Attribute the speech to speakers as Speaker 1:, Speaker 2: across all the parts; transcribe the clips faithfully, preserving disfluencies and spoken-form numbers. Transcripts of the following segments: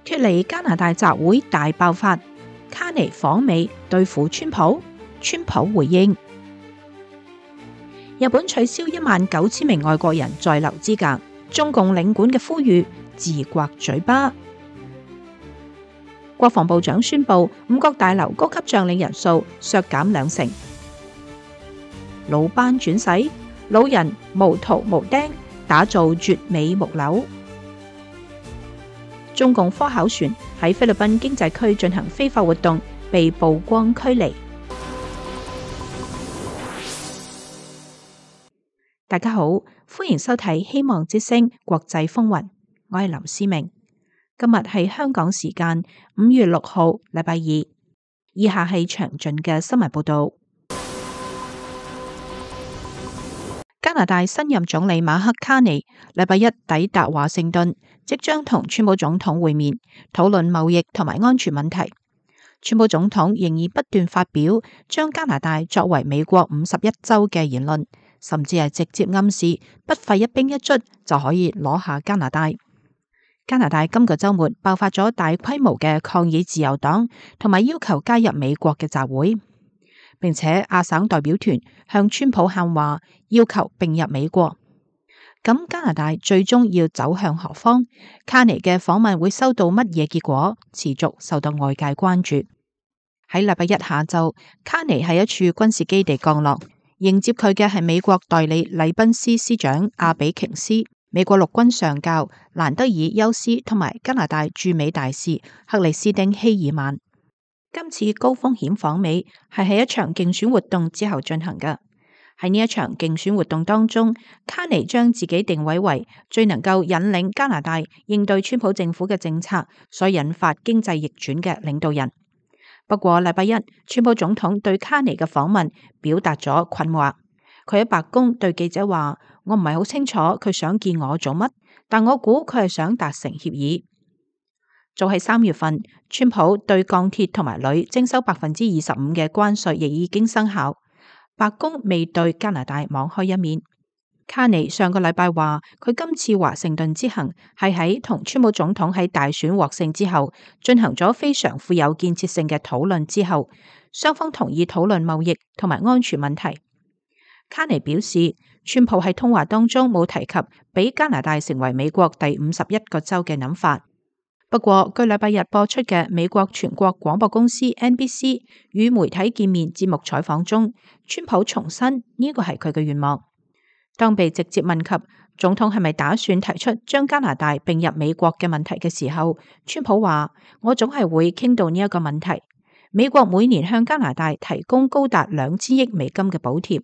Speaker 1: 脫離加拿大集會大爆發，卡尼訪美對付川普，川普回應。日本取消一萬九千名外國人在留資格，中共領館嘅呼籲自刮嘴巴。國防部長宣布五角大樓高級將領人數削減兩成。老班轉世，老人無圖無釘，打造絕美木樓。中共科考船喺菲律賓經濟區進行非法活動，被曝光驅離。大家好，歡迎收睇《希望之聲》國際風雲，我係林思明。今日係香港時間五月六號，禮拜二。以下係詳盡嘅新聞報道。加拿大新任總理馬克卡尼禮拜一抵達華盛頓，即將同川普總統會面，討論貿易同埋安全問題。川普總統仍然不斷發表將加拿大作為美國五十一州嘅言論，甚至係直接暗示不費一兵一卒就可以攞下加拿大。加拿大今個週末爆發咗大規模嘅抗議自由黨同埋要求加入美國嘅集會，並且亞省代表團向川普喊話，要求併入美國。咁加拿大最終要走向何方？卡尼嘅訪問會收到乜嘢結果？持續受到外界關注。喺禮拜一下晝，卡尼喺一處軍事基地降落，迎接佢嘅係美國代理禮賓司司長阿比瓊斯、美國陸軍上校蘭德爾休斯同埋加拿大駐美大使克里斯汀希爾曼。今次高風險訪美係喺一場競選活動之後進行嘅。喺呢一場競選活動當中，卡尼將自己定位為最能夠引領加拿大應對川普政府嘅政策所引發經濟逆轉嘅領導人。不過禮拜一，川普總統對卡尼嘅訪問表達咗困惑。佢喺白宮對記者話：我唔係好清楚佢想見我做乜，但我估佢係想達成協議。早喺三月份，川普對鋼鐵同埋鋁徵收百分之二十五嘅關稅亦已經生效。白宮未對加拿大網開一面。卡尼上個禮拜話，佢今次華盛頓之行係喺同川普總統喺大選獲勝之後進行咗非常富有建設性嘅討論之後，雙方同意討論貿易同埋安全問題。卡尼表示，川普喺通話當中冇提及俾加拿大成為美國第五十一個州嘅諗法。不過，據禮拜日播出嘅美國全國廣播公司 N B C 與媒體見面節目採訪中，川普重申呢個係佢嘅願望。當被直接問及總統係咪打算提出將加拿大併入美國嘅問題嘅時候，川普話：我總係會傾到呢一個問題。美國每年向加拿大提供高達兩千億美金嘅補貼。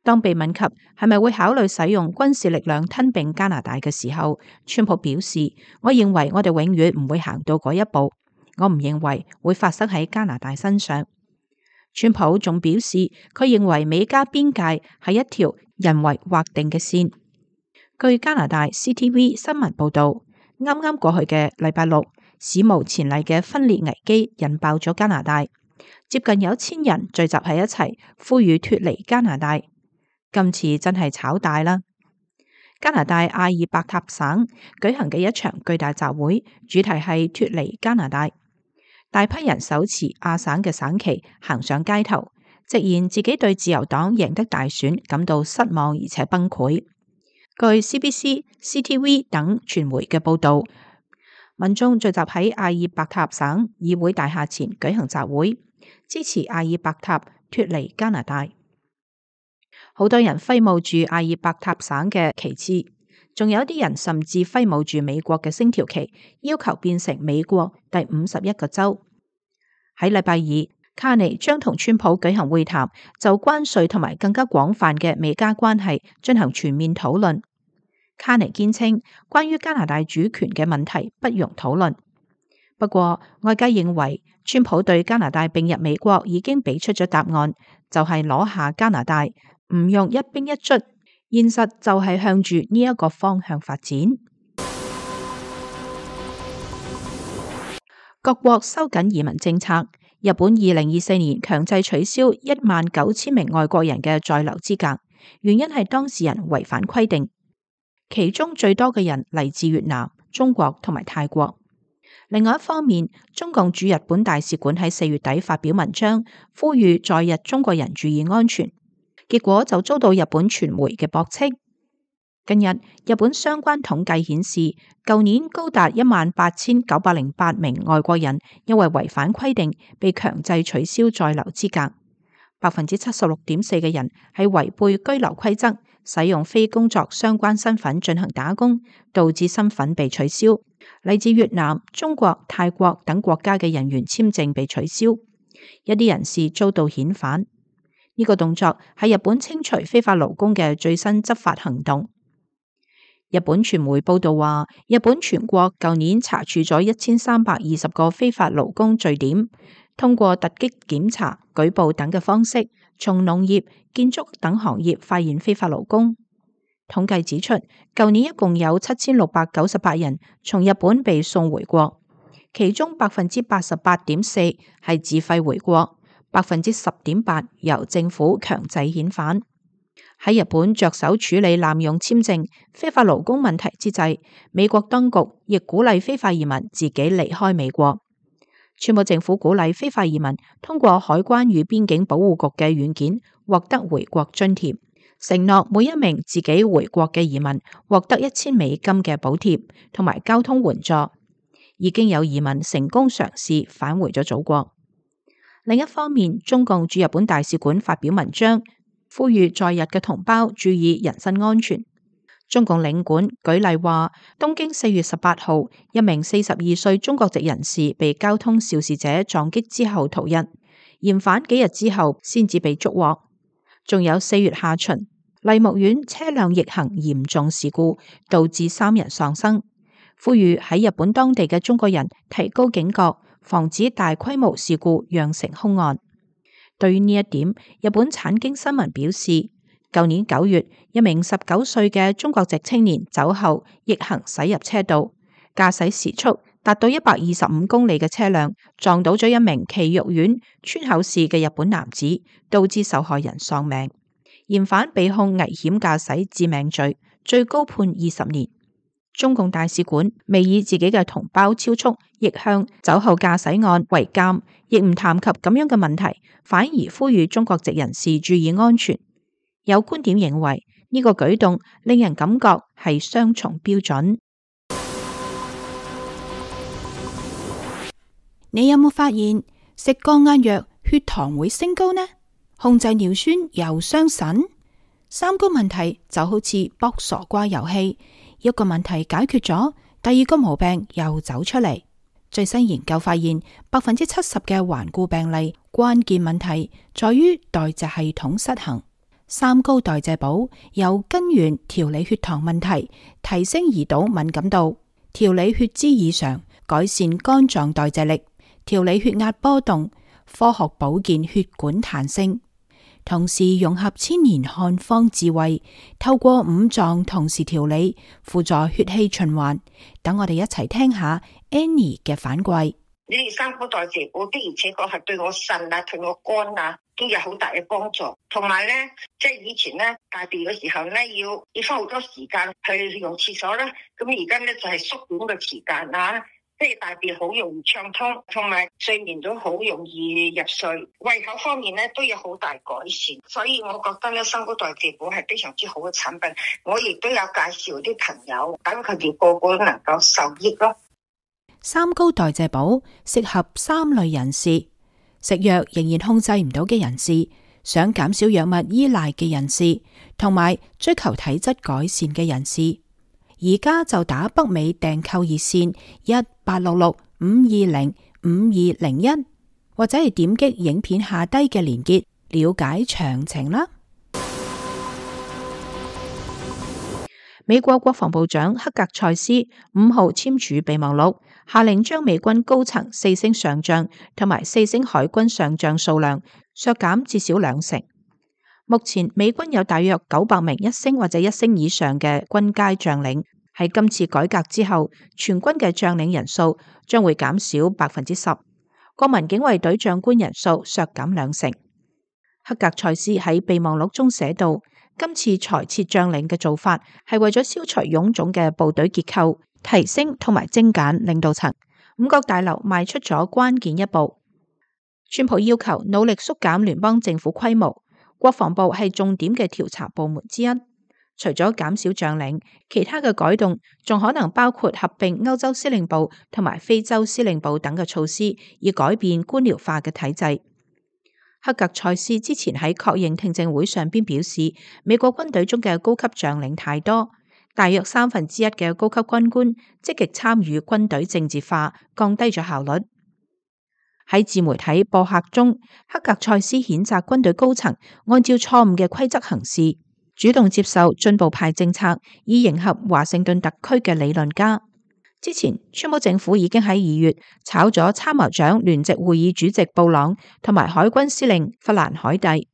Speaker 1: 當被問及係咪會考慮使用軍事力量吞併加拿大嘅時候，川普表示：我認為我哋永遠唔會行到嗰一步，我唔認為會發生喺加拿大身上。川普仲表示，佢認為美加邊界係一條人為劃定嘅線。據加拿大 C T V 新聞報道，啱啱過去嘅禮拜六，史無前例嘅分裂危機引爆咗加拿大，接近有千人聚集喺一齊，呼籲脫離加拿大。今次真係炒大啦！加拿大阿爾伯塔省舉行嘅一場巨大集會，主題係脫離加拿大。大批人手持亞省嘅省旗行上街頭，直言自己對自由黨贏得大選感到失望而且崩潰。據 C B C、C T V 等傳媒嘅報道，民眾聚集喺阿爾伯塔省議會大廈前舉行集會，支持阿爾伯塔脫離加拿大。好多人揮舞住阿爾伯塔省嘅旗幟，仲有啲人甚至揮舞住美國嘅星條旗，要求變成美國第五十一個州。喺禮拜二，卡尼將同川普舉行會談，就關稅同埋更加廣泛嘅美加關係進行全面討論。卡尼堅稱，關於加拿大主權嘅問題不容討論。不過，外界認為川普對加拿大併入美國已經俾出咗答案，就係攞下加拿大。唔用一兵一卒，現實就係向住呢一個方向發展。各國收緊移民政策，日本二零二四年強制取消一萬九千名外國人嘅在留資格，原因係當事人違反規定，其中最多嘅人嚟自越南、中國同埋泰國。另外一方面，中共駐日本大使館喺四月底發表文章，呼籲在日中國人注意安全，結果就遭到日本傳媒嘅駁斥。近日，日本相關統計顯示，舊年高達一萬八千九百零八名外國人因為違反規定被強制取消在留資格，百分之七十六點四嘅人係違背居留規則，使用非工作相關身份進行打工，導致身份被取消。嚟自越南、中國、泰國等國家嘅人員簽證被取消，一啲人士遭到遣返。呢個動作係日本清除非法勞工嘅最新執法行動。日本傳媒報道話，日本全國舊年查處咗一千三百二十個非法勞工據點，通過突擊檢查、舉報等嘅方式，從農業、建築等行業發現非法勞工。統計指出，舊年一共有七千六百九十八人從日本被送回國，其中百分之八十八點四係自費回國，百分之十點八由政府強制遣返。喺日本着手處理濫用簽證、非法勞工問題之際，美國當局亦鼓勵非法移民自己離開美國。川普政府鼓勵非法移民通過海關與邊境保護局嘅軟件獲得回國津貼，承諾每一名自己回國嘅移民獲得一千美金嘅補貼同埋交通援助。已經有移民成功嘗試返回咗祖國。另一方面，中共駐日本大使館發表文章，呼籲在日嘅同胞注意人身安全。中共領館舉例話，東京四月十八號，一名四十二歲中國籍人士被交通肇事者撞擊之後逃逸，嫌犯幾日之後先至被捉獲。仲有四月下旬，麗木苑車輛逆行嚴重事故，導致三人喪生。呼籲喺日本當地嘅中國人提高警覺，防止大規模事故釀成兇案。對於呢一點，日本產經新聞表示，舊年九月，一名十九歲嘅中國籍青年酒後逆行駛入車道，駕駛時速達到一百二十五公里嘅車輛撞到咗一名埼玉縣川口市嘅日本男子，導致受害人喪命。嫌犯被控危險駕駛致命罪，最高判二十年。中共大使館未以自己嘅同胞超速、逆向、酒後駕駛案為鑑，亦唔談及咁樣嘅問題，反而呼籲中國籍人士注意安全。有觀點認為呢個舉動令人感覺係雙重標準。
Speaker 2: 你有冇發現食降壓藥血糖會升高呢？控制尿酸又傷腎？三高問題就好似卜傻瓜遊戲。一個問題解決咗，第二個毛病又走出嚟。最新研究發現，百分之七十嘅頑固病例關鍵問題在於代謝系統失衡。三高代謝寶由根源調理血糖問題，提升胰島敏感度，調理血脂異常，改善肝臟代謝力，調理血壓波動，科學保健血管彈性。同時融合千年漢方智慧，透過五臟同時調理，輔助血氣循環。等我哋一齊聽下 Annie 嘅反饋。
Speaker 3: 你哋三高代謝寶的而且確係對我腎啊、對我肝啊都有好大嘅幫助。同埋咧，即係以前咧大便嘅時候咧，要要花好多時間去用廁所啦。咁而家咧就係縮短嘅時間啦。即係大便好容易暢通，同埋睡眠都好容易入睡，胃口方面咧都有好大改善，所以我覺得咧三高代謝寶係非常之好嘅產品。我亦都有介紹啲朋友，等佢哋個個都能夠受益咯。
Speaker 2: 三高代謝寶適合三類人士：食藥仍然控制唔到嘅人士，想減少藥物依賴嘅人士，同埋追求體質改善嘅人士。而家就打北美訂購熱線一八六六五二零五二零一，或者係點擊影片下低嘅連結了解詳情啦。
Speaker 1: 美國國防部長克格塞斯五號簽署備忘錄，下令將美軍高層四星上將同埋四星海軍上將數量削減至少兩成。目前美軍有大約九百名一星或者一星以上嘅軍階將領，喺今次改革之後，全軍嘅將領人數將會減少百分之十，國民警衛隊長官人數削減兩成。克格塞斯喺備忘錄中寫道，今次裁撤將領嘅做法係為咗消除臃腫嘅部隊結構，提升同埋精簡領導層，五角大樓邁出咗關鍵一步。川普要求努力縮減聯邦政府規模，國防部係重點嘅調查部門之一。除咗減少將領，其他嘅改動仲可能包括合併歐洲司令部同埋非洲司令部等嘅措施，以改變官僚化嘅體制。克格塞斯之前喺確認聽證會上邊表示，美國軍隊中嘅高級將領太多，大約三分之一嘅高級軍官積極參與軍隊政治化，降低咗效率。喺自媒體博客中，克格塞斯譴責軍隊高層按照錯誤嘅規則行事，主動接受進步派政策，以迎合華盛頓特區嘅理論家。之前，川普政府已經喺二月炒咗參謀長聯席會議主席布朗同埋海軍司令弗蘭海蒂。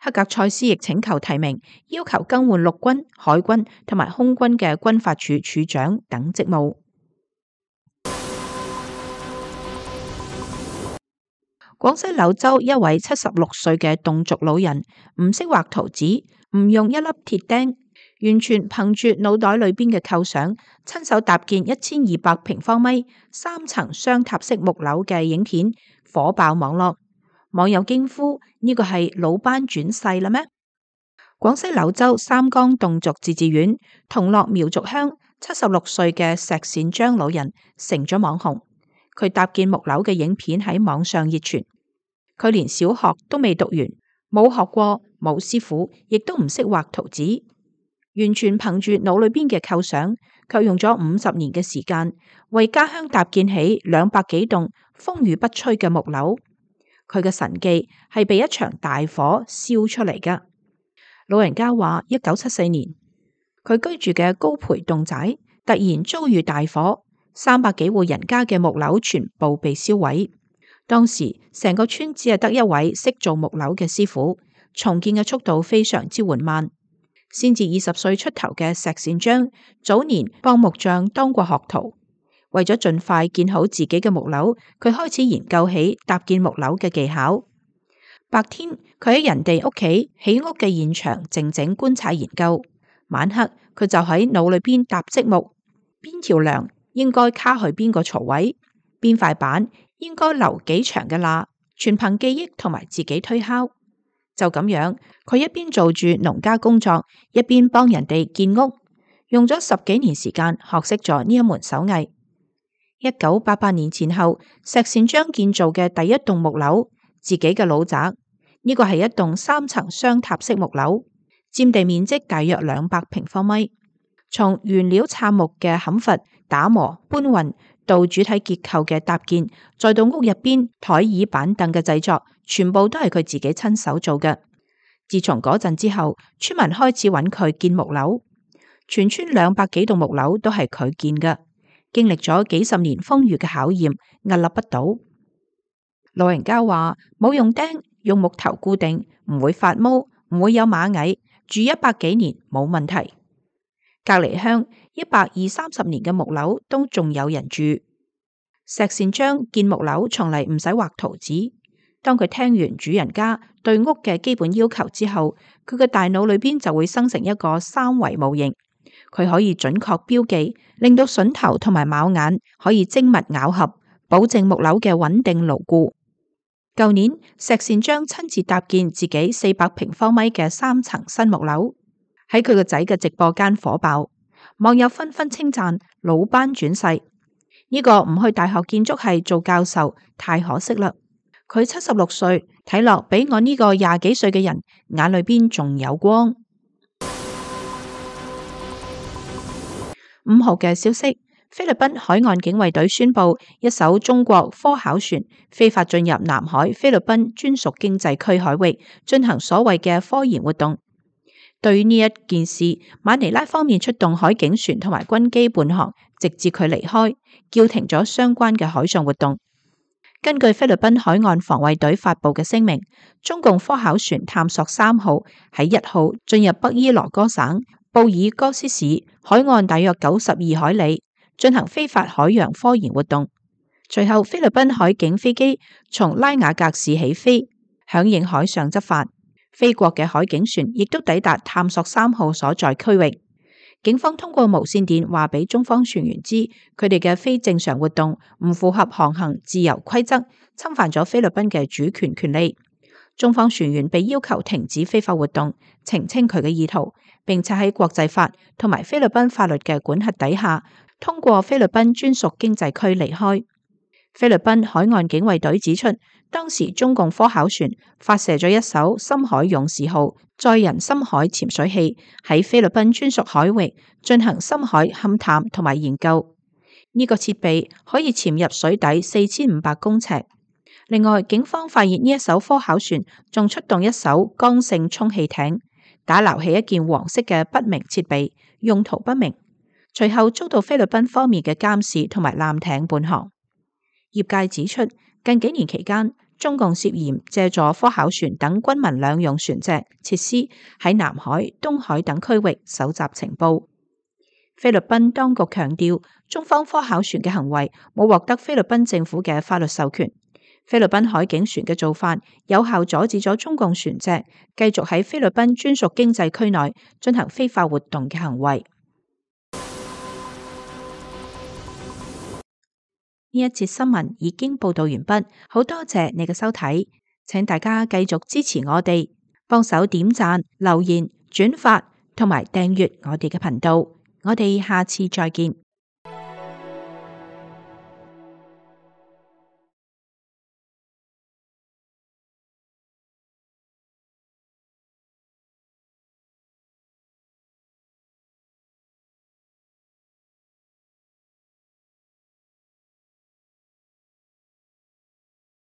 Speaker 1: 克格塞斯亦請求提名，要求更換陸軍、海軍同埋空軍嘅軍法處處長等職務。廣西柳州一位七十六歲嘅侗族老人唔識畫圖紙，唔用一粒鐵釘，完全憑住腦袋裏邊嘅構想，親手搭建一千二百平方米三層雙塔式木樓嘅影片火爆網絡，網友驚呼：呢個係魯班轉世啦咩？廣西柳州三江侗族自治縣同樂苗族鄉七十六歲嘅石善章老人成咗網紅。佢搭建木樓嘅影片喺網上熱傳，佢連小學都未讀完，冇學過，冇師傅，亦都唔識畫圖紙，完全憑住腦裏邊嘅構想，卻用咗五十年嘅時間，為家鄉搭建起兩百幾棟風雨不摧嘅木樓。佢嘅神技係被一場大火燒出嚟㗎。老人家話，一九七四年，佢居住嘅高培侗寨突然遭遇大火。三百幾戶人家嘅木樓全部被燒毀，當時成個村只係得一位識做木樓嘅師傅，重建嘅速度非常之緩慢。先至二十歲出頭嘅石善章，早年幫木匠當過學徒，為咗盡快建好自己嘅木樓，佢開始研究起搭建木樓嘅技巧。白天佢喺人哋屋企起屋嘅現場靜靜觀察研究，晚黑佢就喺腦裏邊搭積木，邊條梁應該卡去邊個槽位，邊塊板應該留幾長嘅罅，全憑記憶同埋自己推敲。就咁樣，佢一邊做住農家工作，一邊幫人哋建屋，用咗十幾年時間學識咗呢一門手藝。一九八八年前後，石善章建造嘅第一棟木樓，自己嘅老宅，呢個係一棟三層雙塔式木樓，佔地面積大約兩百平方米。從原料杉木嘅砍伐、打磨、搬運到主體結構嘅搭建，再到屋入邊台椅板凳嘅製作，全部都係佢自己親手做嘅。自從嗰陣之後，村民開始揾佢建木樓，全村兩百幾棟木樓都係佢建嘅，經歷咗幾十年風雨嘅考驗，屹立不倒。老人家話冇用釘，用木頭固定，唔會發毛，唔會有螞蟻，住一百幾年冇問題。隔籬鄉一百二三十年嘅木樓都仲有人住。石善章建木樓從嚟唔使畫圖紙。當佢聽完主人家對屋嘅基本要求之後，佢嘅大腦裏邊就會生成一個三維模型。佢可以準確標記，令到榫頭同埋卯眼可以精密咬合，保證木樓嘅穩定牢固。舊年石善章親自搭建自己四百平方米嘅三層新木樓。喺佢個仔嘅直播間火爆，網友紛紛稱讚魯班轉世。呢個唔去大學建築系做教授太可惜啦。佢七十六歲，睇落比我呢個廿幾歲嘅人眼裏邊仲有光。五號嘅消息，菲律賓海岸警衛隊宣布，一艘中國科考船非法進入南海菲律賓專屬經濟區海域，進行所謂嘅科研活動。對於呢一件事，馬尼拉方面出動海警船同埋軍機伴航，直至佢離開，叫停咗相關嘅海上活動。根據菲律賓海岸防衛隊發佈嘅聲明，中共科考船探索三號喺一號進入北伊羅哥省布爾戈斯市海岸大約九十二海里，進行非法海洋科研活動。隨後，菲律賓海警飛機從拉瓦格市起飛，響應海上執法。菲國嘅海警船亦都抵達探索三號所在區域。警方通過無線電話俾中方船員知，佢哋嘅非正常活動唔符合航行自由規則，侵犯咗菲律賓嘅主權權利。中方船員被要求停止非法活動，澄清佢嘅意圖，並且喺國際法同埋菲律賓法律嘅管轄底下，通過菲律賓專屬經濟區離開。菲律賓海岸警衛隊指出，當時中共科考船發射咗一艘深海勇士號載人深海潛水器喺菲律賓專屬海域進行深海勘探同埋研究。呢、這個設備可以潛入水底四千五百公尺。另外，警方發現呢一艘科考船仲出動一艘剛性充氣艇，打撈起一件黃色嘅不明設備，用途不明。隨後遭到菲律賓方面嘅監視同埋艦艇伴航。業界指出，近幾年期間，中共涉嫌借助科考船等軍民兩用船隻設施喺南海、東海等區域搜集情報。菲律賓當局強調，中方科考船嘅行為冇獲得菲律賓政府嘅法律授權。菲律賓海警船嘅做法有效阻止咗中共船隻繼續喺菲律賓專屬經濟區內進行非法活動嘅行為。呢一節新聞已經報道完畢，好多謝你嘅收睇，請大家繼續支持我哋，幫手點讚、留言、轉發同埋訂閱我哋嘅頻道。我哋下次再見。